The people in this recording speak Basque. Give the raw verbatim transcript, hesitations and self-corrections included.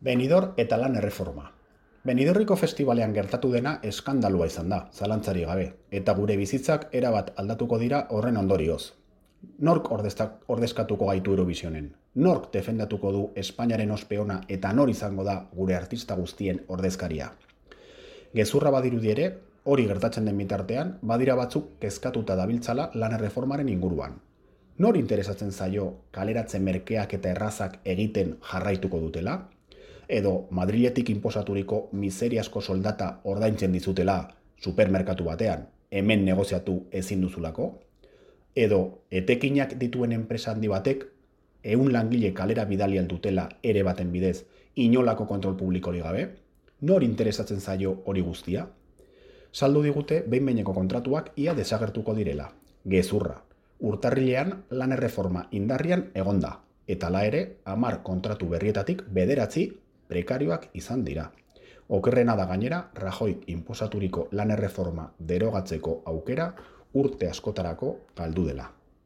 Benidorm eta lan erreforma. Benidorriko festibalean gertatu dena eskandalua izan da, zalantzari gabe, eta gure bizitzak erabat aldatuko dira horren ondorioz. Nork ordezkatuko gaitu Eurovisionen? Nork defendatuko du Espainiaren ospeona eta nor izango da gure artista guztien ordezkaria? Gezurra badirudi ere, hori gertatzen den bitartean, badira batzuk kezkatuta dabiltzala lan erreformaren inguruan. Nor interesatzen zaio kaleratzen merkeak eta errazak egiten jarraituko dutela? Edo Madriletik inposaturiko miseriasko soldata ordaintzen dizutela supermerkatu batean, hemen negoziatu ezin duzulako? Edo etekinak dituen enpresa handi batek ehun langile kalera bidali dutela ere baten bidez inolako kontrol publikori gabe? Nor interesatzen zaio hori guztia? Saldu digute behin-behineko kontratuak ia desagertuko direla. Gezurra. Urtarrilean lan erreforma indarrian egonda, eta hala ere hamar kontratu berrietatik bederatzi prekarioak izan dira. Okerrena da gainera, Rajoyk inposaturiko lan erreforma derogatzeko aukera urte askotarako galdu dela.